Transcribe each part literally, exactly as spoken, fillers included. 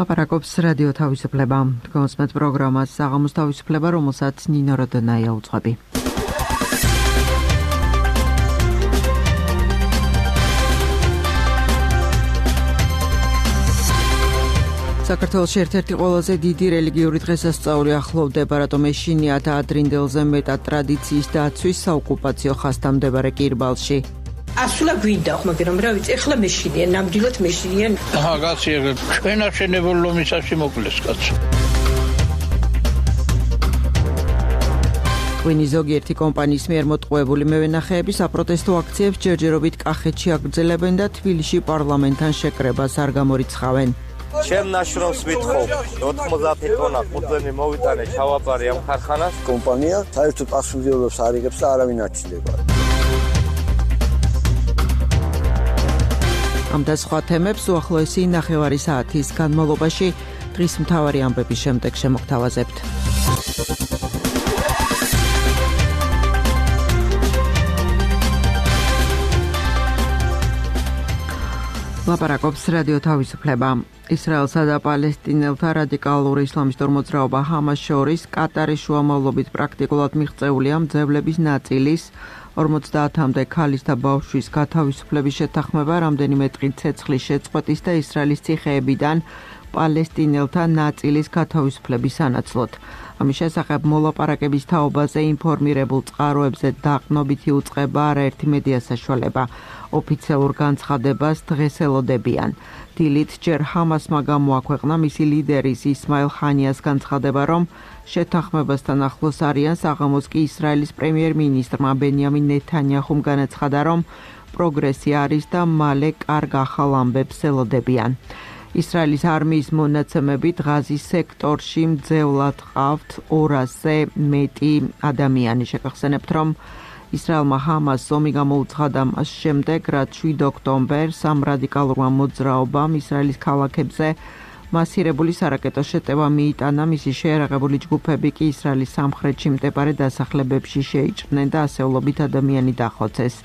ლაპარაკობს რადიო თავისუფლება. Თქვენს პროგრამას საღამოს თავისუფლება, რომელსაც ნინო როდონაია უძღვები. საქართველოში ერთ-ერთი ყველაზე დიდი რელიგიური დღესასწაული ახლოვდება, რატომ ეშინიათ ადრინდელზე მეტად ტრადიციის დაცვის საოკუპაციო ხასთამდებარე კირბალში. ასულა გვინდა, მაგრამ რა ვიცი, ეხლა მეშინია, ნამდვილად მეშინია. აჰა, კაცი, ჩვენ აღშენებულ ლომისაში მოკლეს კაცო. ვინი ზოგიერთი კომპანიის მიერ მოტყუებული მევენახეების აპროტესტო აქციებს ჯერჯერობით კახეთში აგრძელებენ და თბილისში პარლამენტთან შეკრებას არ გამორიცხავენ. ჩემ ნაშრომს ვითხოვ ოთხმოცდაათი ტონა ყურძენი მოვიტანე ჩავაბარე ამ ქარხანას. კომპანია საერთოდ პასუხისმგებლობას არ იღებს და არავინ არ ჩნდება. ამ და სხვა თემებს უახლოესი ნახევარი საათის განმავლობაში დღის მთავარი ამბების შემდეგ შემოგთავაზებთ. ლაპარაკობს რადიო თავისუფლება. ისრაელსა და პალესტინელთა რადიკალური ისლამისტურ მოძრაობა ჰამას შორის კატარის შუამავლობით პრაქტიკულად მიღწეულია მძევლების ნაწილის ორმოცდაათამდე ქალის და ბავშვის გათავისუფლების შეთანხმება, რამდენიმე დღით ცეცხლის შეწყვეტის და ისრაელის ციხეებიდან პალესტინელთა ნაწილის გათავისუფლების სანაცვლოდ. ამის შესახებ მოლაპარაკების თაობაზე ინფორმირებულ წყაროებზე დაყრდნობითი უწყება არაერთი მედია საშუალება. ოფიციალურ განცხადებას დღეს ელოდებიან. დილით ჯერ ჰამასმა გამოაქვეყნა მისი ლიდერის ისმაილ ხანიას განცხადება, რომ შეთანხმებასთან ახლოს არიან. საღამოს კი ისრაელის პრემიერ-მინისტრმა ბენიამინ ნეთანიაჰუმ განაცხადა, რომ პროგრესი არის და მალე კარგ ახალ ამბებს ელოდებიან. ისრაელის არმიის მონაცემებით ღაზის სექტორში მძევლად ყავთ ორასზე მეტი ადამიანი. შეგახსენებთ, რომ ისრაელმა ჰამას ომი გამოუცხადა მას შემდეგ, რაც შვიდ ოქტომბერს ამ რადიკალურმა მოძრაობამ ისრაელის ქალაქებზე მასირებული სარაკეტო შეტევა მიიტანა. მისი შეიარაღებული ჯგუფები კი ისრაელის სამხრეთში მდებარე დასახლებებში შეიჭრნენ და ასეულობით ადამიანი დახოცეს.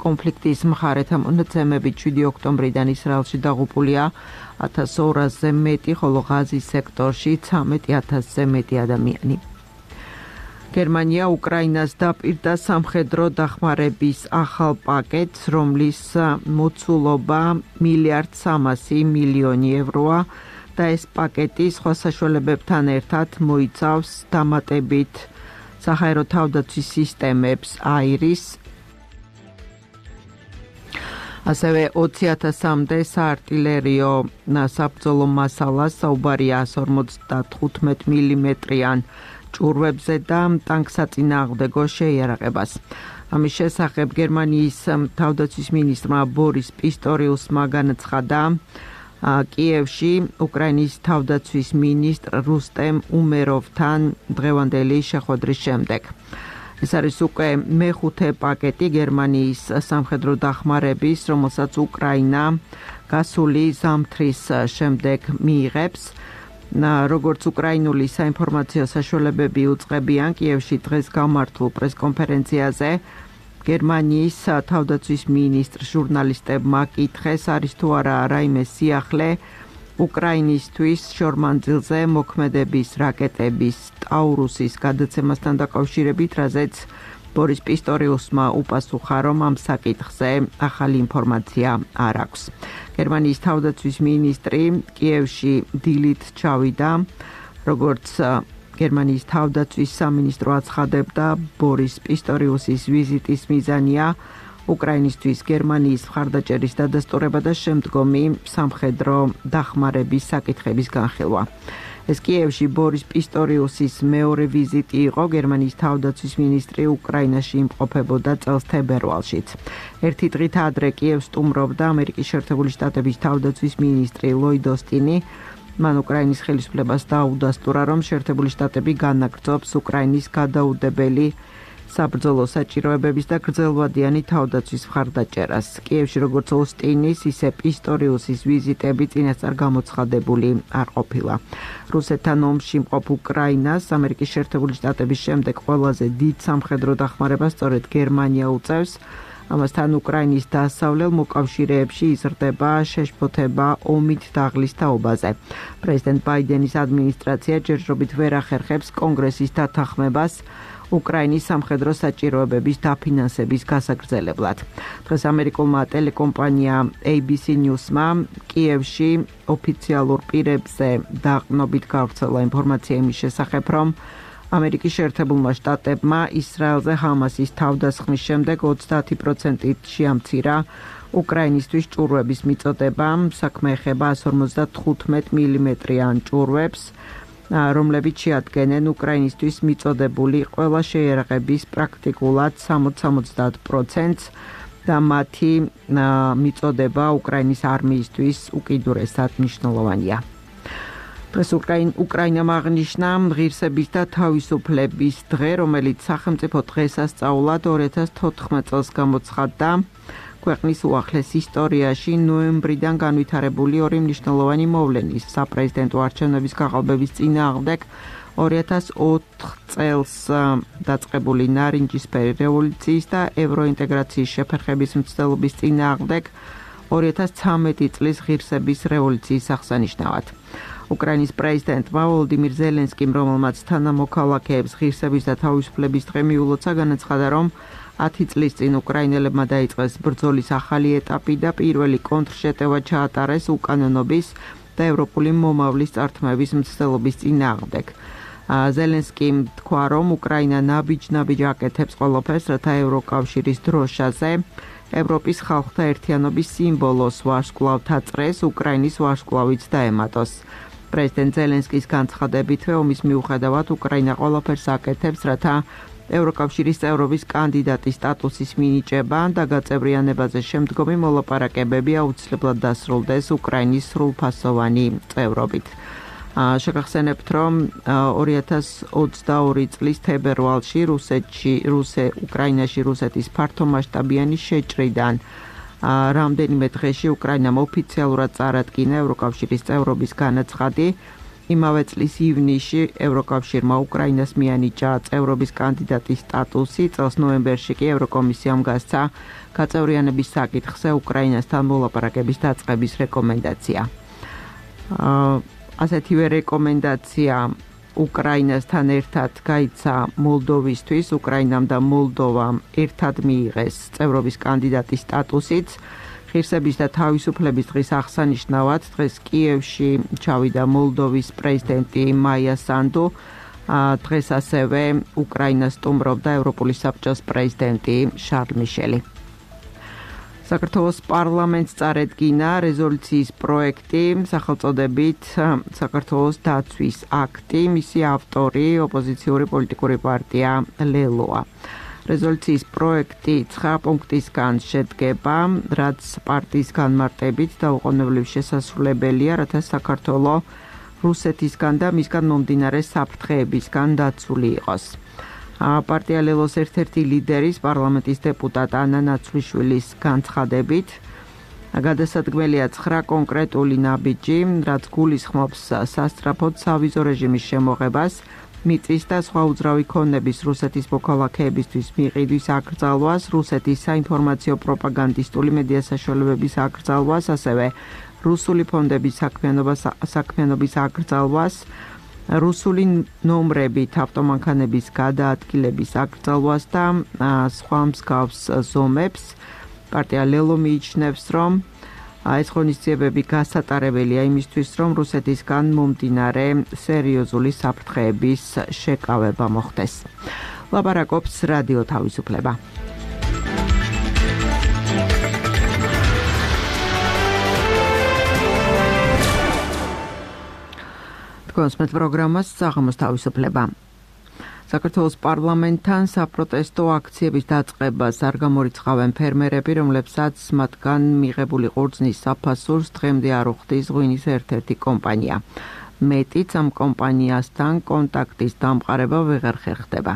კონფლიქტის მხარეთა მონაცემებით შვიდი ოქტომბრიდან ისრაელში დაღუპულია ათას ორასზე მეტი, ხოლო ღაზის სექტორში ცხრამეტი ათასზე მეტი ადამიანი. გერმანია უკრაინას დაპირდა სამხედრო დახმარების ახალ პაკეტს, რომლის მოცულობა მილიარდ სამასი მილიონი ევროა და ეს პაკეტი სხვა საშუალებებთან ერთად მოიცავს დამატებით საჰაერო თავდაცვის სისტემებს აირის, ასევე ოცი ათასამდე საარტილერიო საბრძოლო მასალას, საუბარია ასი ორმოცდათხუთმეტ მილიმეტრიან ჭურვებზე და ტანკსაწინააღმდეგო შეიარაღებას. ამის შესახებ გერმანიის თავდაცვის მინისტრმა ბორის პისტორიუსმა განაცხადა კიევში უკრაინის თავდაცვის მინისტრ რუსტემ უმეროვთან დღევანდელი შეხვედრის შემდეგ. ეს არის უკვე მეხუთე პაკეტი გერმანიის სამხედრო დახმარების, რომელსაც უკრაინა გასული ზამთრის შემდეგ მიიღებს. როგორც უკრაინული საინფორმაციო საშუალებები უწყებიან, კიევში დღეს გამართულ პრესკონფერენციაზე გერმანიის თავდაცვის მინისტრ ჟურნალისტებმა კითხეს, არის თუ არა რაიმე სიახლე უკრაინისთვის შორმანძილზე მოქმედების რაკეტების ტაურუსის გადაცემასთან დაკავშირებით, რაზეც ბორის პისტორიუსმა უპასუხა, რომ ამ საკითხზე ახალი ინფორმაცია არ აქვს. გერმანიის თავდაცვის მინისტრი კიევში დილით ჩავიდა, როგორც გერმანიის თავდაცვის სამინისტრო აცხადებდა, ბორის პისტორიუსის ვიზიტის მიზანია უკრაინისთვის გერმანიის მხარდაჭერის დადასტურება და შემდგომი სამხედრო დახმარების საკითხების განხილვა. ეს კიევში ბორის პისტორიუსის მეორე ვიზიტი იყო. გერმანიის თავდაცვის მინისტრი უკრაინაში იმყოფებოდა წელს თებერვალშიც. ერთი დღით ადრე კიევს სტუმრობდა ამერიკის შეერთებული შტატების თავდაცვის მინისტრი ლოიდ ოსტინი. მან უკრაინის ხელისუფლებას დაუდასტურა, რომ შეერთებული შტატები განაგრძობს უკრაინის გადაუდებელი საბრძოლო საჭიროებების და გრძელვადიანი თავდაცვის მხარდაჭერას. კიევში როგორც ოსტინის, ისე პისტორიუსის ვიზიტები წინასწარ გამოცხადებული არ ყოფილა. რუსეთთან ომში მყოფ უკრაინას ამერიკის შეერთებული შტატების შემდეგ ყველაზე დიდ სამხედრო დახმარებას სწორედ გერმანია უწევს. ამასთან უკრაინის დასავლელ მოკავშირეებში იზრდება შეშფოთება ომით დაღლის თაობაზე. პრეზიდენტ ბაიდენის ადმინისტრაცია ჯერჯერობით ვერ ახერხებს კონგრესის დათანხმებას უკრაინის სამხედრო საჭიროებების დაფინანსების გასაგრძელებლად. დღეს ამერიკულმა ტელეკომპანია A B C News-მა კიევში ოფიციალურ პირებზე დაყრდნობით გავრცელა ინფორმაცია იმის შესახებ, რომ ამერიკის შეერთებულმა შტატებმა ისრაელზე ჰამასის თავდასხმის შემდეგ ოცდაათი პროცენტით შეამცირა უკრაინისთვის ჭურვების მიწოდება, საქმე ეხება εκατს ორმოცდათხუთმეტ მილიმეტრიან ჭურვებს, რომლებიც შეადგენენ უკრაინისთვის მიწოდებული ყველა შეიარაღების პრაქტიკულად სამოცდაათ პროცენტს და მათი მიწოდება უკრაინის არმიისთვის უკიდურესად მნიშვნელოვანია. დღეს უკრაინამ აღნიშნა ღირსების და თავისუფლების დღე, რომელიც სახელმწიფო დღესასწაულად ორი ათას თოთხმეტ წელს გამოცხადდა. ქვეყნის უახლეს ისტორიაში ნოემბრიდან განვითარებული ორი მნიშვნელოვანი მოვლენის საპრეზიდენტო არჩევნების გაყალბების წინააღმდეგ ორი ათას ოთხ წელს დაწყებული ნარინჯისფერი რევოლუციის და ევროინტეგრაციის შეფერხების მცდელობის წინააღმდეგ ორი ათას ცხრამეტი წლის ღირსების რევოლუციის აღსანიშნავად. უკრაინის პრეზიდენტმა ვოლოდიმირ ზელენსკიმ, რომელმაც თანამოქალაქეებს ღირსების და თავისუფლების დღე მიულოცა, განაცხადა, რომ ათი წლის წინ უკრაინელებმა დაიწყეს ბრძოლის ახალი ეტაპი და პირველი კონტრშეტევა ჩაატარეს უკანონობის და ევროპული მომავლის წართმების მცდელობის წინააღმდეგ. ზელენსკიმ თქვა, რომ უკრაინა ნაბიჯ-ნაბიჯ აკეთებს ყველაფერს, რათა ევროკავშირის დროშაზე ევროპის ხალხთა ერთიანობის სიმბოლოს ვარსკვლავ დაწყდეს, უკრაინის ვარსკვლავიც დაემატოს. პრეზიდენტ ზელენსკის განცხადებითვე ომის მიუხედავად უკრაინა ყველაფერს აკეთებს, რათა ევროკავშირის წევრობის კანდიდატის სტატუსის მინიჭება და გაწევრიანებაზე შემდგომი მოლაპარაკებები აუცილებლად დასრულდეს უკრაინის სრულფასოვანი წევრობით. შეგახსენებთ, რომ ორი ათას ოცდაორი წლის თებერვალში რუსეთში, რუსე უკრაინაში რუსეთის ფართომასშტაბიანი შეჭრიდან რამდენიმე დღეში უკრაინამ ოფიციალურად წარადგინა ევროკავშირის წევრობის განაცხადი. იმავე წლის ივნისში ევროკავშირმა უკრაინას მიანიჭა წევრობის კანდიდატის სტატუსი, წელს ნოემბერში კი ევროკომისიამ გასცა გაწევრიანების საკითხზე უკრაინასთან მოლაპარაკების დაწყების რეკომენდაცია. ასეთივე რეკომენდაცია უკრაინასთან ერთად გაიცა მოლდოვისთვის, უკრაინამ და მოლდოვამ ერთად მიიღეს წევრობის კანდიდატის სტატუსიც. ღირსების და თავისუფლების დღის აღსანიშნავად დღეს კიევში ჩავიდა მოლდოვის პრეზიდენტი მაია სანდუ. დღეს ასევე უკრაინას სტუმრობდა ევროპული საბჭოს პრეზიდენტი შარლ მიშელი. საქართველოს პარლამენტს წარედგინა რეზოლუციის პროექტი სახელწოდებით საქართველოს დაცვის აქტი, მისი ავტორი ოპოზიციური პოლიტიკური პარტია ლელოა. რეზოლუციის პროექტი ცხრა პუნქტისგან შედგება, რაც პარტიის განმარტებით დაუყოვნებლივ შესასრულებელია, რათა საქართველო რუსეთისგან და მისგან მომდინარე საფრთხეებისგან დაცული იყოს. პარტია ლელოს ერთ-ერთი ლიდერის პარლამენტის დეპუტატ ანა ნაცვლიშვილის განცხადებით გადასადგმელია ცხრა კონკრეტული ნაბიჯი, რაც გულისხმობს სასწრაფოდ სავიზო რეჟიმის შემოღებას, მიწის და სხვა უძრავი ქონების რუსეთის მოქალაქეებისთვის მიყიდვის აკრძალვას, რუსეთის საინფორმაციო პროპაგანდისტული მედია საშუალებების აკრძალვას, ასევე რუსული ფონდების საქმიანობის აკრძალვას, რუსული ნომრებით ავტომანქანების გადაადგილების აკრძალვას და სხვა მსგავს ზომებს. პარტია ლელო მიიჩნევს, რომ ეს ღონისძიებები გასატარებელია იმისთვის, რომ რუსეთისგან მომდინარე სერიოზული საფრთხეების შეკავება მოხდეს. ლაპარაკობს რადიო თავისუფლება. კონსმეთ პროგრამას საღამოს თავისუფლება. საქართველოს პარლამენტთან საპროტესტო აქციების დაწყებას არ გამორიცხავენ ფერმერები, რომლებსაც მათგან მიღებული ყურძნის საფასურს დღემდე არ უხდის ღვინის ერთ-ერთი კომპანია. მეტიც ამ კომპანიასთან კონტაქტის დამყარება ვეღარ ხერხდება.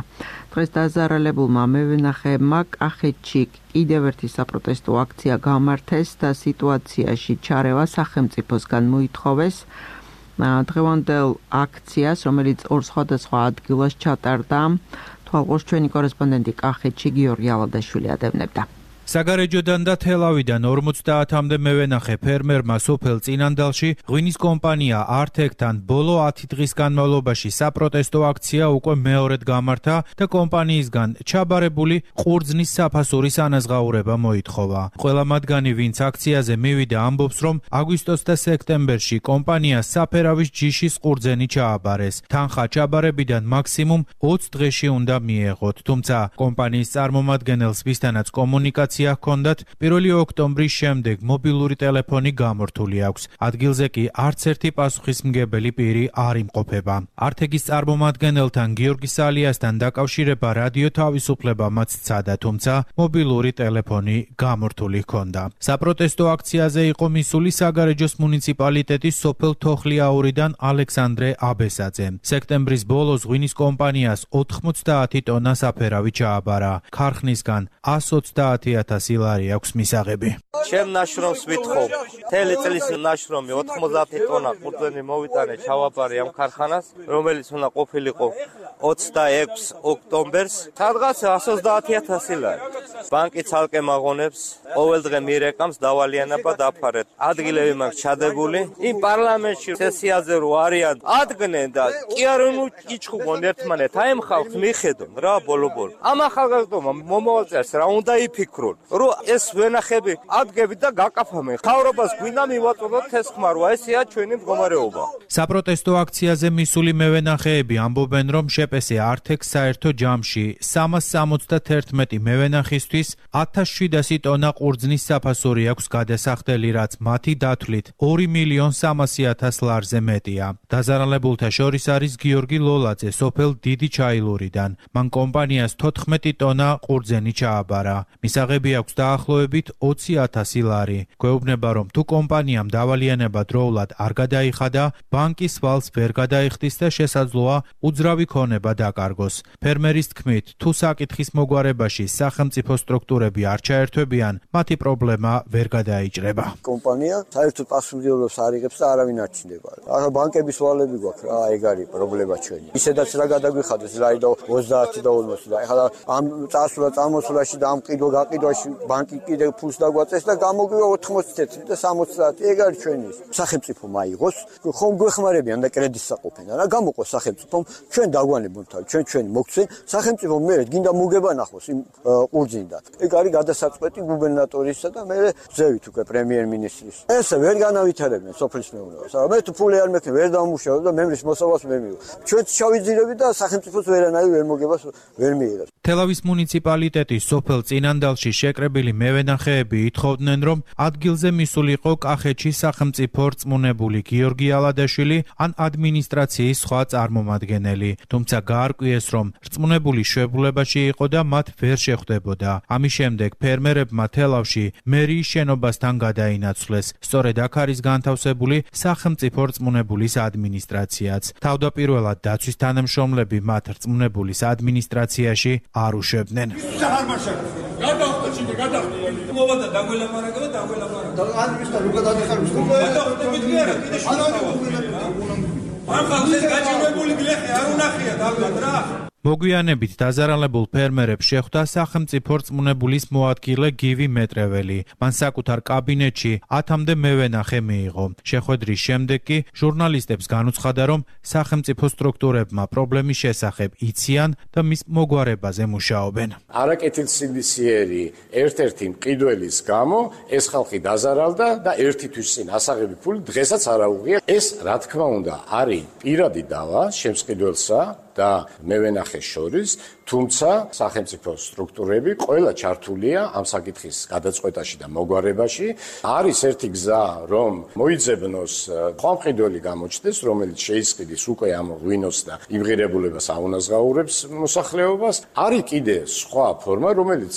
დღეს დაზარალებულმა მევენახეებმა კახეთში კიდევ ერთი საპროტესტო აქცია გამართეს და სიტუაციაში ჩარევა სახელმწიფოსგან მოითხოვეს. დღევანდელ აქციას, რომელიც ორ სხვადასხვა ადგილას ჩატარდა, თვალყურს ჩვენი კორესპონდენტი კახეთში გიორგი ალადაშვილი ადევნებდა. საგარეჯოდან და თელავიდან ორმოცდაათამდე მევენახე ფერმერმა სოფელ წინანდალში ღვინის კომპანია ართეკთან ბოლო ათი დღის განმავლობაში საპროტესტო აქცია უკვე მეორედ გამართა და კომპანიისგან ჩაბარებული ყურძნის საფასურის ანაზღაურება მოითხოვა. ყველა მათგანი, ვინც აქციაზე მივიდა, ამბობს, რომ აგვისტოს და სექტემბერში კომპანიას საფერავის ჯიშის ყურძენი ჩააბარეს. თანხა ჩაბარებიდან მაქსიმუმ ოცი დღეში უნდა მიეღოთ, თუმცა კომპანიის წარმომადგენელს, ვისთანაც კომუნიკაცია ჰქონდათ, პირველი ოქტომბრის შემდეგ მობილური ტელეფონი გამორთული აქვს. ადგილზე კი არც ერთი პასუხისმგებელი პირი არ იმყოფება. ართეკის წარმომადგენელთან გიორგი სალიასთან დაკავშირება რადიო თავისუფლებამაც სცადა, თუმცა მობილური ტელეფონი გამორთული ჰქონდა. საპროტესტო აქციაზე იყო მისული საგარეჯოს მუნიციპალიტეტის სოფელ თოხლიაურიდან ალექსანდრე აბესაძე. სექტემბრის ბოლოს ღვინის კომპანიას ოთხმოცდაათი ტონა საფერავი ჩააბარა. ქარხნისგან ასი ოცდაათი ათასი ლარი აქვს მისაღები. ჩემ ნაშრომს ვითხოვ. მთელი წლის ნაშრომი ოთხმოცდაათი ტონა ყურძენი მოვიტანე ჩავაბარე ამ ქარხანას, რომელიც უნდა ყოფილიყო ოცდაექვსი ოქტომბერს. სადღაც ასი ოცდაათი ათასი ლარი. ბანკი ცალკე მაღონებს, ყოველდღე მირეკამს დავალიანება დაფარეთ. ადგილები მაქვს ჩადებული. იმ პარლამენტში სესიაზე რო არიან, ადგნენ და კი არ იჩხუბონ ერთმანეთ. აი ამ ხალხს მიხედონ რა ბოლო-ბოლო. ამ ახალგაზრდობამ მომავალს რა უნდა იფიქრონ, რომ ეს ვენახები ადგებით და გაკაფამენ. ხავრობას გვინდა მივაწოდოთ ეს ხმა, რა ესეა ჩვენი მდგომარეობა. საპროტესტო აქციაზე მისული მევენახეები ამბობენ, რომ შეპესე ართეკს საერთო ჯამში სამას სამოცდაათი მევენახისთვის ათას შვიდასი ტონა ყურძნის საფასური აქვს გადასახდელი, რაც მათი დათვლით ორი მილიონი სამასი ათასი ლარზე მეტია. დაზარალებულთა შორის არის გიორგი ლოლაძე სოფელ დიდი ჩაილურიდან. მან კომპანიას თოთხმეტი ტონა ყურძენი ჩააბარა. მისაღები აქვს დაახლოებით ოცი ათასი ლარი. გვეუბნება, რომ თუ კომპანიამ დავალიანება დროულად არ გადაიხადა, ბანკის ვალს ვერ გადაიხდის და შესაძლოა უძრავი ქონება დაკარგოს. ფერმერის თქმით, თუ საკითხის მოგვარებაში სახელმწიფო სტრუქტურები არ ჩაერთვებიან, მათი პრობლემა ვერ გადაიჭრება. კომპანია საერთოდ პასუხისმგებლობას არ იღებს და არავინ არ ჩნდება. ახლა ბანკების ვალები გვაქვს რა, ეგ არის პრობლემა ჩვენი. ისედაც რა გადაგვიხადეს, რა და ოცდაათი და ორმოცი და ახლა ამ წასვლა წამოსვლაში და ამ ყიდვა გაყიდვაში ბანკი კიდე ფულს დაგვაწეს და გამოგვივა ოთხმოცდაათი და სამოცდაათი. ეგ არის ჩვენი. სახელმწიფო მაიღოს, ხომ გვეხმარებიან და კრედიტს საყოფენ. რა გამოყოს სახელმწიფომ, ჩვენ დაგვანებონ თავი, ჩვენ ჩვენი მოგცენ, სახელმწიფო მერე გინდა მოგება ნახოს იმ ყურძნიდან. ეგ არის გადასაწყვეტი გუბერნატორისა და მერე ზევით უკვე პრემიერ-მინისტრის. ესე ვერ განავითარებენ სოფლის მეურნეობას. მე თუ ფული არ მექნე ვერ დამუშავებ და მემრის მოსავალს ვერ მივიღებ. ჩვენც ჩავიძირები და სახელმწიფოს ვერანაირ ვერ მოგებას ვერ მიიღებს. თელავის მუნიციპალიტეტის სოფელ წინანდალში შეკრებილი მევენახეები ითხოვდნენ, რომ ადგილზე მისულიყო კახეთში სახელმწიფო რწმუნებული გიორგი ალადაშვილი ან ადმინისტრაციის სხვა წარმომადგენელი. თუმცა გაარკვიეს, რომ რწმუნებული შვებულებაში იყო და მათ ვერ შეხვდებოდა. ამის შემდეგ ფერმერებმა თელავში მერიის შენობასთან გადაინაცვლეს. სწორედ აქ არის განთავსებული სახელმწიფო რწმუნებულის ადმინისტრაციაც. თავდაპირველად დაცვის თანამშრომლები მათ რწმუნებულის ადმინისტრაციაში არ უშვებდნენ. მოგვიანებით დაზარალებულ ფერმერებს შეხვდა სახელმწიფო რწმუნებულის მოადგილე გივი მეტრეველი. მან საკუთარ კაბინეტში ათამდე მევენახე მიიღო. შეხვედრის შემდეგ კი ჟურნალისტებს განუცხადა, რომ სახელმწიფო სტრუქტურებმა პრობლემის შესახებ იციან და მის მოგვარებაზე მუშაობენ. არაკეთილსინდისიერი ერთ-ერთი მყიდველის გამო ეს ხალხი დაზარალდა და ერთი თვის წინ ასაღები ფული დღესაც არ აუღია. ეს რა თქმა უნდა არის პირადი დავა შემსყიდველსა და მევენახეს შორის, თუმცა სახელმწიფო სტრუქტურები ყველა ჩართულია ამ საკითხის გადაწყვეტაში და მოგვარებაში. არის ერთი გზა, რომ მოიძებნოს ხომყიდველი გამოჩნდეს, რომელიც შეისყიდის უკვე ამ ღვინოს და იმღირებულებას აუნაზღაურებს მოსახლეობას. არის კიდე სხვა ფორმა, რომელიც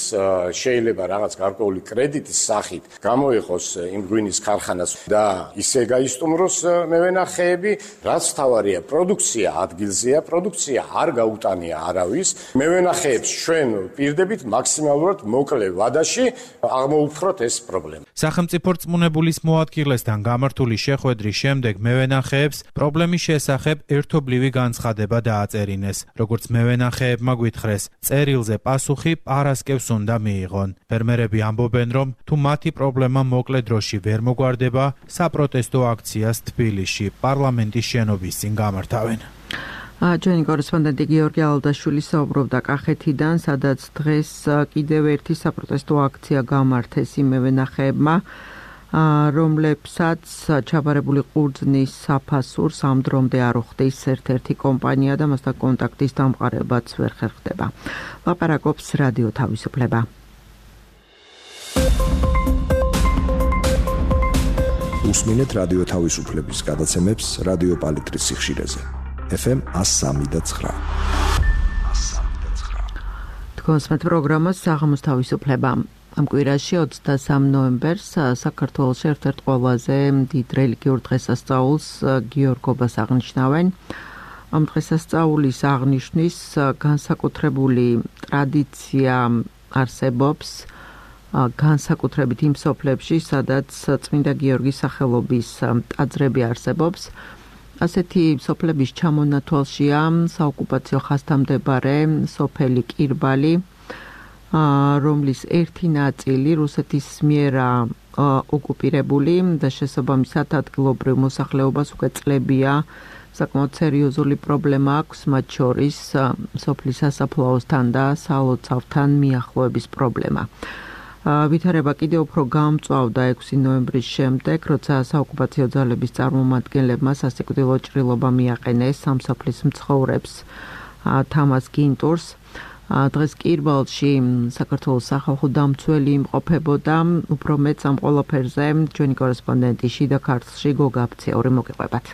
შეიძლება რაღაც გარკვეული კრედიტის სახით გამოიყოს იმ ღვინის ქარხანას და ისე გაისტუმროს მევენახეები, რაც თავარია პროდუქცია ადგილზეა, პროდუქცია არ გაუტანია არავის. მევენახეებს ჩვენ პირდებით მაქსიმალურად მოკლე ვადაში აღმოუფროთ ეს პრობლემა. სახელმწიფო რწმუნებულის მოადგილესთან გამართული შეხვედრის შემდეგ მევენახეებს პრობლემის შესახებ ერთობლივი განცხადება დააწერინეს. როგორც მევენახეებმა გვითხრეს, წერილზე პასუხი პარასკევს უნდა მიიღონ. ფერმერები ამბობენ, რომ თუ მათი პრობლემა მოკლე დროში ვერ მოგვარდება, საპროტესტო აქციას თბილისში პარლამენტის შენობის წინ გამართავენ. ჩვენი კორესპონდენტი გიორგი ალდაშვილი საუბრობდა კახეთიდან, სადაც დღეს კიდევ ერთი საპროტესტო აქცია გამართეს იმ მევენახეებმა, რომლებსაც ჩაბარებული ყურძნის საფასურს ამ დრომდე არ უხდის ერთ-ერთი კომპანია და მასთან კონტაქტის დამყარებაც ვერ ხერხდება. ლაპარაკობს რადიო თავისუფლება. უსმინეთ რადიო თავისუფლების გადაცემებს რადიო პალიტრის სიხშირეზე. ეფ ემ one oh three point nine. თქვენს პროგრამას საღამოს თავისუფლება. ამ კვირაში ოცდასამ ნოემბერს საქართველოში ერთ-ერთ ყველაზე დიდ რელიგიურ დღესასწაულს გიორგობას აღნიშნავენ. ამ დღესასწაულის აღნიშვნის განსაკუთრებული ტრადიცია არსებობს განსაკუთრებით იმ სოფლებში, სადაც წმინდა გიორგის სახელობის ტაძრები არსებობს. ასეთი სოფლების ჩამონათვალშია საოკუპაციო ხასთამდებარე სოფელი კირბალი, რომლის ერთი ნაწილი რუსეთის მიერ ოკუპირებული და შესაბამისად ადგილობრივ მოსახლეობას უკვე წლებია საკმაოდ სერიოზული პრობლემა აქვს, მათ შორის სოფლის სასაფლაოსთან და სალოცავთან მიახლოების პრობლემა. ვითარება კიდევ უფრო გამწვავდა ექვსი ნოემბრის შემდეგ, როცა საოკუპაციო ძალების წარმომადგენლებმა სასიკვდილო ჭრილობა მიაყენეს ამ სოფლის მცხოვრებს თამაზ გინტურს. დღეს კირბალში საქართველოს სახალხო დამცველი იმყოფებოდა, უფრო მეც ამ ყველაფერზე ჩვენი კორესპონდენტი შიდა ქართლში გოგა აფციური მოგიყვებათ.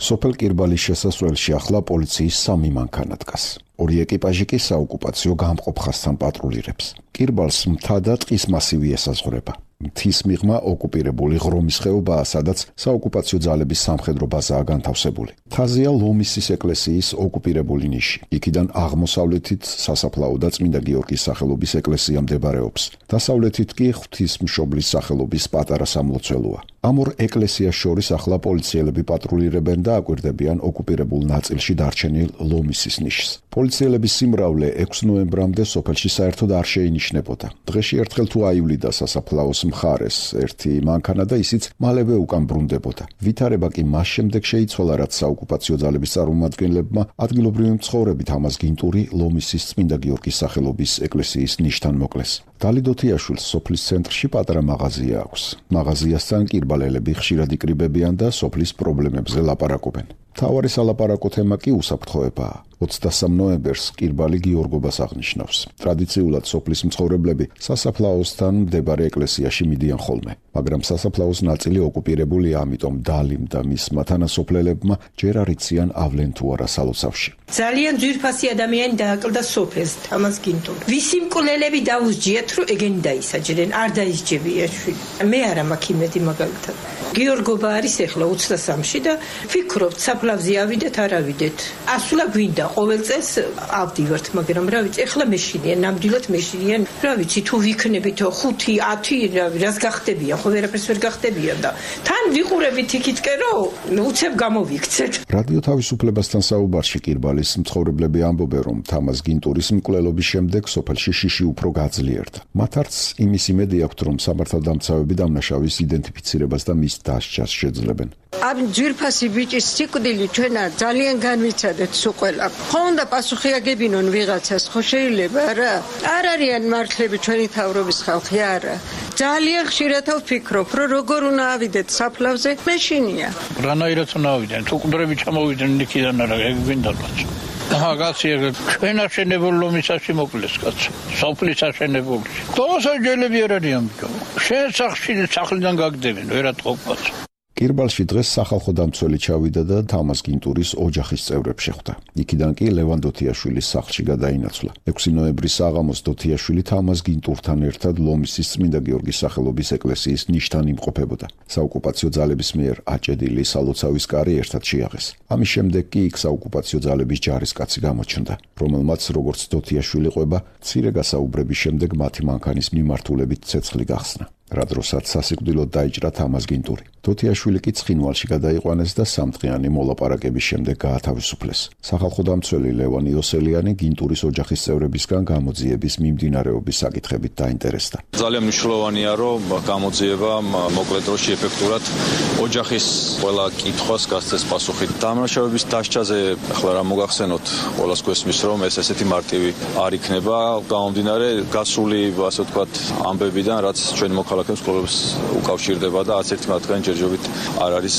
სოფელ კირბალის შესასვლელში ახლა პოლიციის სამი მანქანა დგას. ორი ეკიპაჟი კი საოკუპაციო გამყოფ ხასთან პატრულირებს. კირბალს მთა და ტყის მასივი ესაზღვრება. მთის მიღმა ოკუპირებული ღრომის ხეობაა, სადაც საოკუპაციო ძალების სამხედრო ბაზაა განთავსებული. მთაზეა ლომისის ეკლესიის ოკუპირებული ნიში. იქიდან აღმოსავლეთით სასაფლაო და წმინდა გიორგის სახელობის ეკლესია მდებარეობს. დასავლეთით კი ღვთისმშობლის სახელობის პატარა სამლოცველოა. ამ ორ ეკლესიას შორის ახლა პოლიციელები პატრულირებენ და აკვირდებიან ოკუპირებულ ნაწილში დარჩენილ ლომისის ნიშს. პოლიციელების სიმრავლე ექვსი ნოემბრამდე სოფელში საერთოდ არ შეინიშნებოდა. დღეში ერთხელ თუ აივლიდა სასაფლაოს მხარეს ერთი მანქანა და ისიც მალევე უკან ბრუნდებოდა. ვითარება კი მას შემდეგ შეიცვალა, რაც საოკუპაციო ძალების წარმომადგენლებმა ადგილობრივი მცხოვრები თამაზ გინტური ლომისის წმინდა გიორგის სახელობის ეკლესიის ნიშთან მოკლეს. დალი დოთიაშვილს სოფლის ცენტრში პატარა მაღაზია აქვს. მაღაზიასთან კირბალელები ხშირად იკრიბებიან და სოფლის პრობლემებზე ლაპარაკობენ. მთავარი სალაპარაკო თემა კი უსაფრთხოებაა. ოცდასამ ნოემბერს კირბალი გიორგობას აღნიშნავს. ტრადიციულად სოფლის მცხოვრებლები სასაფლაოსთან მდებარე ეკლესიაში მიდიან ხოლმე, მაგრამ სასაფლაოს ნაწილი ოკუპირებულია, ამიტომ დალიმ და მისმა თანასოფლელებმა ჯერ არ იციან ავლენ თუ არა სალოცავში. ძალიან ძვირფასი ადამიანი დააკლდა სოფელს, თამაზ გინტურ. ვისი მკვლელები დაუსჯიათ, რომ ეგენი დაისაჯერენ, არ დაისჯებია შვილი. მე არა მაქვს იმედი მაგალითად. გიორგობა არის ახლა ოცდასამში და ფიქრობთ, საფლავზე ავიდეთ, არ ავიდეთ. ასვლა გვინდა ყოველ წელს ავდივართ, მაგრამ რა ვიცი, ახლა მეშინიან, ნამდვილად მეშინიან. რა ვიცი, თუ ვიქნებითო ხუთი, ათი, რას გახდებიან, ხო ვერაფერს ვერ გახდებიან და თან ვიყურებით იქითკენ, რომ უცებ გამოვიქცეთ. რადიო თავისუფლებასთან საუბარში კირბალის მცხოვრებლები ამბობენ, რომ თამაზ გინტურის მკვლელობის შემდეგ სოფელში შიში უფრო გაძლიერდა. მათ არც იმის იმედი აქვთ, რომ სამართალდამცავები დამნაშავის იდენტიფიცირებას და მის დასჯას შეძლებენ. ამ ძვირფასი ბიჭის სიკვდილი ჩვენა ძალიან განვიცადეთ სულ ყველა. ხო უნდა პასუხი აგებინონ ვიღაცას, ხო შეიძლება რა? არ არიან მართლები ჩვენი თავრობის ხალხი, არა. ძალიან ხშირად ვფიქრობ, რომ როგორ უნდა ავიდეთ საფლავზე, მეშინია. რანაირად უნდა ავიდეთ? თუ ყდრები ჩამოვიდნენ იქიდან არა, ეგ გვინდა კაცო. აა კაცი, ჩვენ აშენებულ ლომისაში მოკლეს კაცო. სოფლის აშენებულში. თორსა ჯელები არ არიან. შენ სახში სახლიდან გაგდებენ, ვერატყობ კაცო. კირბალში დღეს სახალხო დამცველი ჩავიდა და თამაზ გინტურის ოჯახის წევრებს შეხვდა. იქიდან კი ლევან დოთიაშვილის სახლში გადაინაცვლა. ექვსი ნოემბრის საღამოს დოთიაშვილი თამაზ გინტურთან ერთად ლომისის წმინდა გიორგის სახელობის ეკლესიის ნიშთან იმყოფებოდა. საოკუპაციო ძალების მიერ აჭედილი სალოცავის კარი ერთად შეაღეს. ამის შემდეგ კი იქ საოკუპაციო ძალების ჯარისკაცი გამოჩნდა, რომელმაც როგორც დოთიაშვილი ყვება, მცირე გასაუბრების შემდეგ მათი მანქანის მიმართულებით ცეცხლი გახსნა. რა დროსაც სასიკვდილოდ დაიჭრა თამაზ გინტური. დოთიაშვილი კი ცხინვალში გადაიყვანეს და სამდღიანი მოლაპარაკების შემდეგ გაათავისუფლეს. სახალხო დამცველი ლევან იოსელიანი გინტურის ოჯახის წევრებისგან გამოძიების მიმდინარეობის საკითხებით დაინტერესდა. ძალიან მნიშვნელოვანია, რომ გამოძიება მოკლე დროში ეფექტურად ოჯახის ყველა კითხვას გასცეს პასუხი. დამნაშავების დასჯაზე ახლა რა მოგახსენოთ, ყველას გვესმის, რომ ეს ესეთი მარტივი არ იქნება, გამომდინარე გასული, ასე ვთქვათ, ამბებიდან, რაც ჩვენ მოქალაქეებს ყოველს უკავშირდება და არც ერთი მათგანი ჯერჯერობით არ არის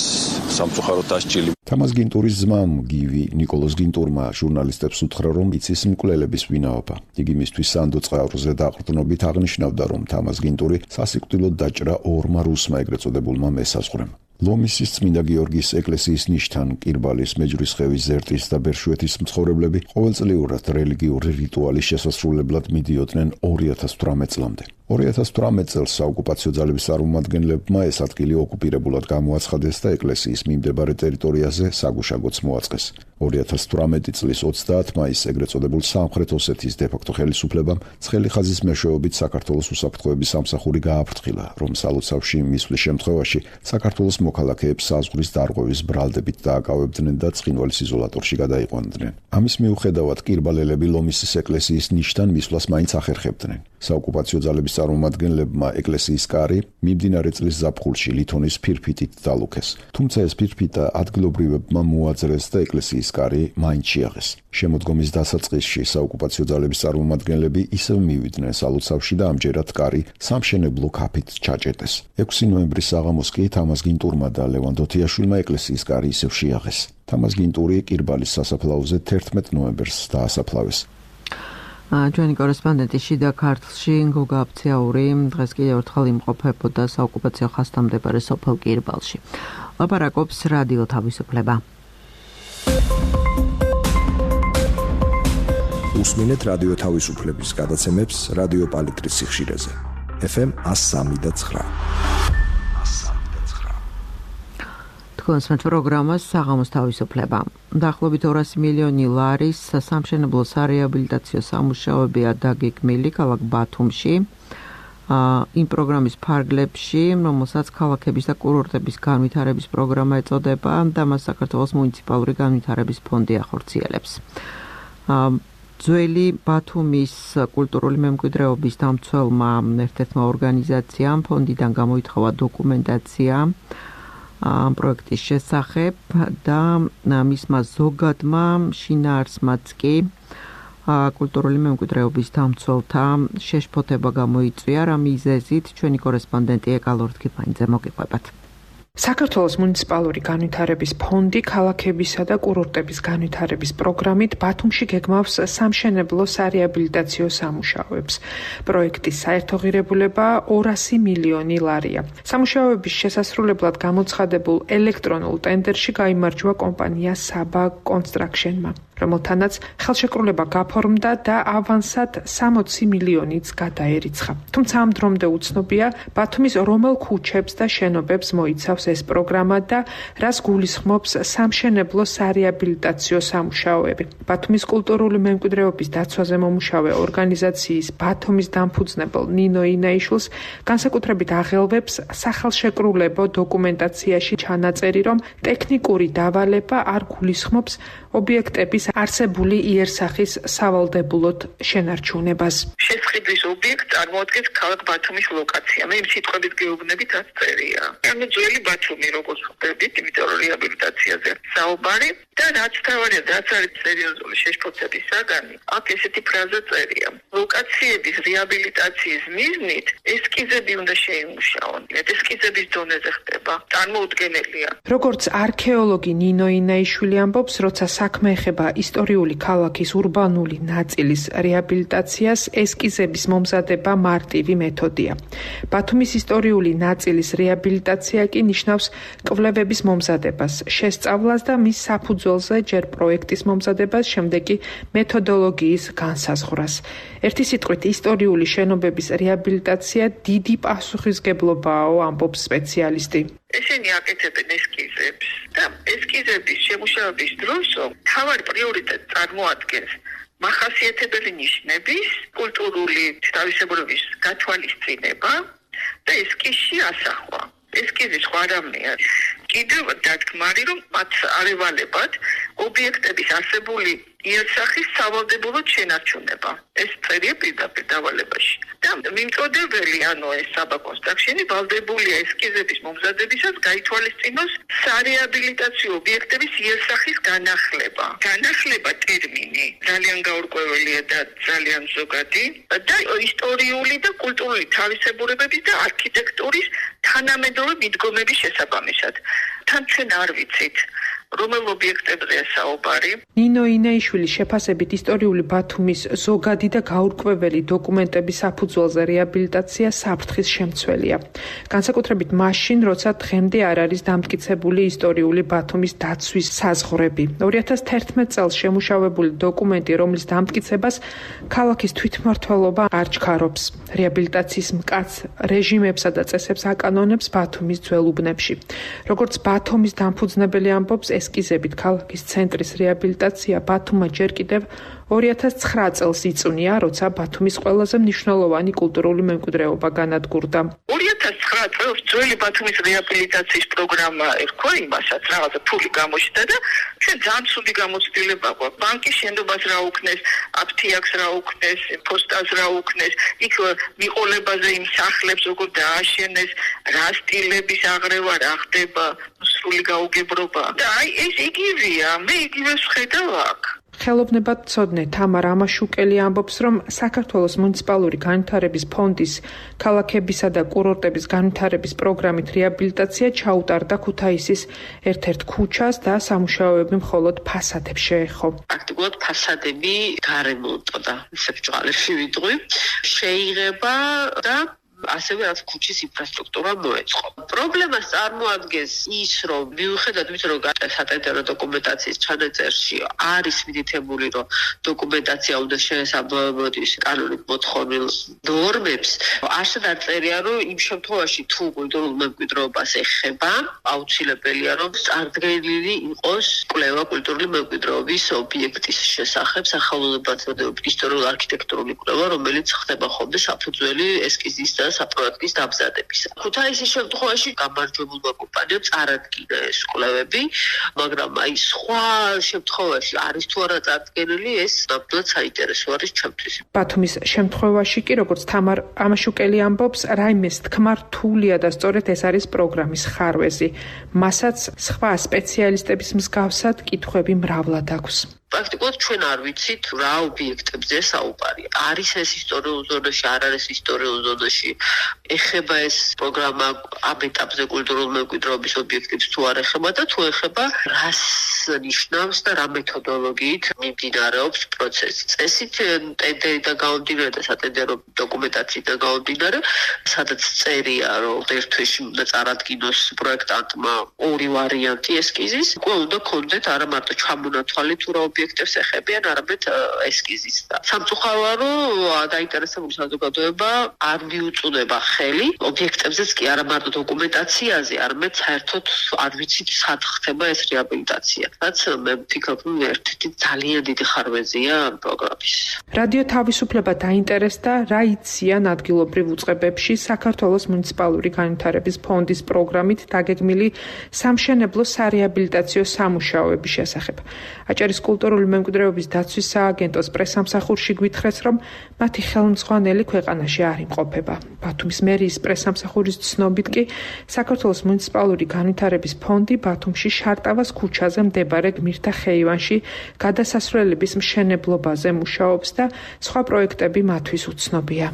სამწუხაროდ დასჯილი. თამაზ გინტურის ძმამ გივი ნიკოლოზ გინტურმა ჟურნალისტებს უთხრა, რომ იცის მკვლელების ვინაობა. იგი მისთვის სანდო წყაროზე დაყრდნობით აღნიშნავდა, რომ თამაზ გინტური სასიკვდილოდ დაჭრა ორმა რუსმა ეგრეთ წოდებულმა მესაზღვრემ. ლომისის წმინდა გიორგის ეკლესიის ნიშთან კირბალის მეჯვრისხევის ზერტის და ბერშვეთის მცხოვრებლები ყოველწლიურად რელიგიური რიტუალის შესასრულებლად მიდიოდნენ ორი ათას თვრამეტ წლამდე. ორი ათას თვრამეტ წელს საოკუპაციო ძალების წარმომადგენლებმა ეს ადგილი ოკუპირებულად გამოაცხადეს და ეკლესიის მიმდებარე ტერიტორიაზე საგუშაგოც მოაწყეს. ორი ათას თვრამეტი წლის ოცდაათ მაისს ეგრეთ წოდებულ სამხრეთ ოსეთის დე-ფაქტო ხელისუფლებამ ცხელი ხაზის მეშვეობით საქართველოს უსაფრთხოების სამსახური გააფრთხილა, რომ სალოცავში მისვლის შემთხვევაში საქართველოს მოქალაქეებს საზღვრის დარღვევის ბრალდებით დააკავებდნენ და ცხინვალის იზოლატორში გადაიყვანდნენ. ამის მიუხედავად კირბალელები ლომისის ეკლესიის ნიშთან მისვლას მაინც ახერხებდნენ. საოკუპაციო ძალების წარმომადგენლებმა ეკლესიის კარი მიმდინარე წლის ზაფხულში ლითონის ფირფიტით დალუქეს. თუმცა ეს ფირფიტა ადგილობრივებმა მოაძრეს და ეკლესიის კარი მაინც შეაღეს. შემოდგომის დასაწყისში საოკუპაციო ძალების წარმომადგენლები ისევ მივიდნენ სალოცავში და ამჯერად კარი სამშენებლო ქაფით ჩაჭედეს. ექვსი ნოემბრის საღამოს კი თამაზ გინტურმა და ლევან დოთიაშვილმა ეკლესიის კარი ისევ შეაღეს. თამაზ გინტური კირბალის სასაფლაოზე თერთმეტ ნოემბერს დაასაფლავეს. ჩვენი კორესპონდენტი შიდა ქართლში გოგა აფციაური დღეს კიდევ ერთხელ იმყოფებოდა საოკუპაციო ხაზთან მდებარე სოფელ კირბალში. ლაპარაკობს რადიო თავისუფლება. უსმინეთ რადიო თავისუფლების გადაცემებს რადიო პალიტრის სიხშირეზე. ეფ ემ εκατო სამი და ცხრა. თქვენს პროგრამას საღამოს თავისუფლება. დაახლოებით ორასი მილიონი ლარის სამშენებლო სარეაბილიტაციო სამუშაოებია დაგეგმილი ქალაქ ბათუმში. იმ პროგრამის ფარგლებში, რომელსაც ქალაქების და კურორტების განვითარების პროგრამა ეწოდება და მას საქართველოს მუნიციპალური განვითარების ფონდი ახორციელებს. ძველი ბათუმის კულტურული მემკვიდრეობის დამცველმა ერთ-ერთმა ორგანიზაციამ ფონდიდან გამოითხოვა დოკუმენტაცია ამ პროექტის შესახებ და მისმა ზოგადმა შინაარსმაც კი კულტურული მემკვიდრეობის დამცველთა შეშფოთება გამოიწვია, რა მიზეზით ჩვენი კორესპონდენტი ეკა ლორთქიფანიძე მოგიყვებათ. საქართველოს მუნიციპალური განვითარების ფონდი ქალაქებისა და კურორტების განვითარების პროგრამით ბათუმში გეგმავს სამშენებლო სარეაბილიტაციო სამუშაოებს. პროექტის საერთო ღირებულება ორასი მილიონი ლარია. სამუშაოების შესასრულებლად გამოცხადებულ ელექტრონულ ტენდერში გაიმარჯვა კომპანია საბა კონსტრაქშენმა, რომელთანაც ხელშეკრულება გაფორმდა და ავანსად სამოცი მილიონიც გადაერიცხა. თუმცა ამ დრომდე უცნობია, ბათუმის რომელ ქუჩებს და შენობებს მოიცავს ეს პროგრამა და რას გულისხმობს სამშენებლო სარეაბილიტაციო სამუშაოები. ბათუმის კულტურული მემკვიდრეობის დაცვაზე მომუშავე ორგანიზაციის ბათუმის დამფუძნებელ ნინო ინაიშვილს განსაკუთრებით აღელვებს სახელშეკრულებო დოკუმენტაციაში ჩანაწერი, რომ ტექნიკური დავალება არ გულისხმობს ობიექტების არსებული იერსახის სავალდებულოდ შენარჩუნებას. შესყიდვის ობიექტ წარმოადგენს ქალაქ ბათუმის ლოკაცია. მე იმ სიტყვებით გეუბნებით რაც წერია. ანუ ძველი ბათუმი როგორც ხვდებით, იმიტომ რომ რეაბილიტაციაზე საუბარი და რაც თავარია, რაც არის სერიოზული შეშფოთების საგანი, აქ ესეთი ფრაზა წერია. ლოკაციების რეაბილიტაციის მიზნით ესკიზები უნდა შეიმუშაონ. ესკიზების დონეზე ხდება. წარმოუდგენელია. როგორც არქეოლოგი ნინო ინაიშვილი ამბობს, როცა საქმე ეხება ისტორიული ქალაქის ურბანული ნაწილის რეაბილიტაციას ესკიზების მომზადება მარტივი მეთოდია. ბათუმის ისტორიული ნაწილის რეაბილიტაცია კი ნიშნავს კვლევების მომზადებას, შესწავლას და მის საფუძველზე ჯერ პროექტის მომზადებას, შემდეგ კი მეთოდოლოგიის განსაზღვრას. ერთი სიტყვით, ისტორიული შენობების რეაბილიტაცია დიდი პასუხისგებლობაა, ამბობს სპეციალისტი. ესენი აკეთებენ ესკიზებს და ესკიზების შემუშავების დროს მთავარი პრიორიტეტი წარმოადგენს მახასიათებელი ნიშნების, კულტურული თავისებურების გათვალისწინება და ესკიზში ასახვა. ესკიზი სხვა რამეა. კიდევ დათქმარი, რომ მათ არ ევალებათ ობიექტების არსებული იერსახის სავალდებულოდ შენარჩუნება. ეს წერია პირდაპირ დავალებაში. და მიმწოდებელი, ანუ ეს საბა კონსტრაქშენი ვალდებულია ესკიზების მომზადებისას გაითვალისწინოს სარეაბილიტაციო ობიექტების იერსახის განახლება. განახლება ტერმინი ძალიან გაურკვეველია და ძალიან ზოგადი და ისტორიული და კულტურული თავისებურებების და არქიტექტურის თანამედროვე მიდგომების შესაბამისად. თან ჩვენ არ ვიცით რომელ ობიექტებზეა საუბარი. ნინო ინეიშვილის შეფასებით ისტორიული ბათუმის ზოგადი და გაურკვეველი დოკუმენტების საფუძველზე რეაბილიტაცია საფრთხის შემცველია. განსაკუთრებით მაშინ, როცა დღემდე არ არის დამტკიცებული ისტორიული ბათუმის დაცვის საზღვრები. ორი ათას თერთმეტ წელს შემუშავებული დოკუმენტი, რომლის დამტკიცებას ქალაქის თვითმმართველობა არ ჩქარობს. რეაბილიტაციის მკაც რეჟიმებსა და წესებს აკანონებს ბათუმის ძველ უბნებში. როგორც ბათუმის დამფუძნებელი ამბობს, ესკიზებით ქალაქის ცენტრის რეაბილიტაცია ბათუმმა ჯერ კიდევ ორი ათას ცხრა წელს იწვნია, როცა ბათუმის ყველაზე მნიშვნელოვანი კულტურული მემკვიდრეობა განადგურდა. ორი ათას ცხრა წელს ძველი ბათუმის რეაბილიტაციის პროგრამა ერქვა იმასაც, რაღაცა ფული გამოჩნდა და ჩვენ ძალიან ცუდი გამოცდილება გვაქვს. ბანკის შენდობას რა უკნეს, აფთიაქს რა უკნეს, ფოსტას რა უკნეს, იქ მიყოლებაზე იმ სახლებს როგორ დააშენეს, რა სტილების აღრევა რა ხდება, სრული გაუგებრობა. და აი ეს იგივეა, მე იგივეს ვხედავ აქ. ხელოვნებათმცოდნე თამარ ამაშუკელი ამბობს, რომ საქართველოს მუნიციპალური განვითარების ფონდის ქალაქებისა და კურორტების განვითარების პროგრამით რეაბილიტაცია ჩაუტარდა ქუთაისის ერთ-ერთ ქუჩას და სამუშაოები მხოლოდ ფასადებს შეეხო. პრაქტიკულად ფასადები გარემონტო და სებრჭყალებში ვიტყვი შეიღება და ასევე რაც ქუჩის ინფრასტრუქტურა მოეწყო. პრობლემას წარმოადგენს ის, რომ მიუხედავად იმისა, რომ სატენდერო დოკუმენტაციის ჩანაწერში არის მითითებული, რომ დოკუმენტაცია უნდა შეესაბამებოდეს კანონით მოთხოვნილ ნორმებს, არსად არ წერია, რომ იმ შემთხვევაში თუ კულტურულ მემკვიდრეობას ეხება, აუცილებელია, რომ წარდგენილი იყოს კვლევა კულტურული მემკვიდრეობის ობიექტის შესახებ, სახელმწიფო ისტორიულ არქიტექტურული კვლევა, რომელიც ხდება ხოლმე საფუძველი ესკიზის და საპროექტის დამზადებისა. ქუთაისის შემთხვევაში გამარჯვებულმა კომპანიამ წარადგინა ეს კვლევები, მაგრამ აი სხვა შემთხვევაში არის თუ არა წარდგენილი, ეს ნამდვილად საინტერესო არის ჩემთვის. ბათუმის შემთხვევაში კი, როგორც თამარ ამაშუკელი ამბობს, რაიმეს თქმა რთულია და სწორედ ეს არის პროგრამის ხარვეზი. მასაც სხვა სპეციალისტების მსგავსად კითხვები მრავლად აქვს. პრაქტიკულად ჩვენ არ ვიცით რა ობიექტებზე საუბარი. არის ეს ისტორიულ ზონაში, არ არის ისტორიულ ზონაში. ეხება ეს პროგრამა ამ ეტაპზე კულტურულ მემკვიდრეობის ობიექტებს თუ არ ეხება და თუ ეხება რას ნიშნავს და რა მეთოდოლოგიით მიმდინარეობს პროცესი. წესით ტენდერიდან გამომდინარე და სატენდერო დოკუმენტაციიდან გამომდინარე, სადაც წერია, რომ ერთ თვეში უნდა წარადგინოს პროექტანტმა ორი ვარიანტი ესკიზის, უკვე უნდა ქონდეთ არა მარტო ჩამონათვალი თუ რა ობიექტებს ეხებიან, არამედ ესკიზის. სამწუხაროა, რომ დაინტერესებული საზოგადოება არ მიუწვდება ხელი ობიექტებზეც კი არა მარტო დოკუმენტაციაზე, არამედ საერთოდ არ ვიცით სად ხდება ეს რეაბილიტაცია. რაც მე ვფიქრობ, რომ ერთ-ერთი ძალიან დიდი ხარვეზია ამ პროგრამის. რადიო თავისუფლება დაინტერესდა, რა იციან ადგილობრივ უწყებებში საქართველოს მუნიციპალური განვითარების ფონდის პროგრამით დაგეგმილი სამშენებლო სარეაბილიტაციო სამუშაოების შესახებ. აჭარის კულტურული მემკვიდრეობის დაცვის სააგენტოს პრესამსახურში გვითხრეს, რომ მათი ხელმძღვანელი ქვეყანაში არ იმყოფება. ბათუმის მერიის პრესამსახურის ცნობით კი საქართველოს მუნიციპალური განვითარების ფონდი ბათუმში შარტავას ქუჩაზე მდებარე გმირთა ხეივანში გადასასვლელების მშენებლობაზე მუშაობს და სხვა პროექტები მათთვის უცნობია.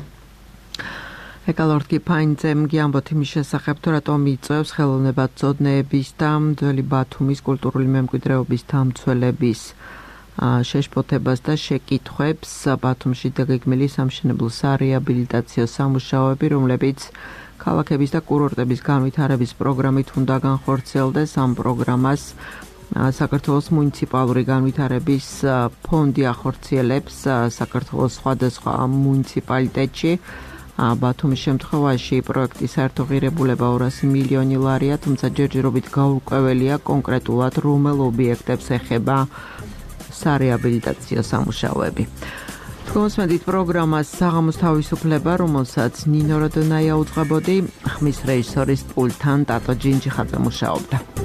ეკალორტი ფაინძემ გიამბოთ იმის შესახებ, თუ რატომ იწევს ხელოვნებათმცოდნეების და ძველი ბათუმის კულტურული მემკვიდრეობის დამცველების შეშფოთებას და შეკითხვებს ბათუმში დაგეგმილი სამშენებლო სარეაბილიტაციო სამუშაოები, რომლებიც ქალაქების და კურორტების განვითარების პროგრამით უნდა განხორციელდეს. ამ პროგრამას საქართველოს მუნიციპალური განვითარების ფონდი ახორციელებს საქართველოს სხვადასხვა მუნიციპალიტეტში. ბათუმის შემთხვევაში პროექტის საერთო ღირებულება ორასი მილიონი ლარია, თუმცა ჯერჯერობით გაურკვეველია კონკრეტულად რომელ ობიექტებს ეხება სარეაბილიტაციო სამუშაოები. თქვენსმენთ პროგრამას საღამოს თავისუფლება, რომელსაც ნინო როდონაია უძღვებოდი, ხმის რეჟისორის პულტთან ტატო ჯინჯიხაძე მუშაობდა.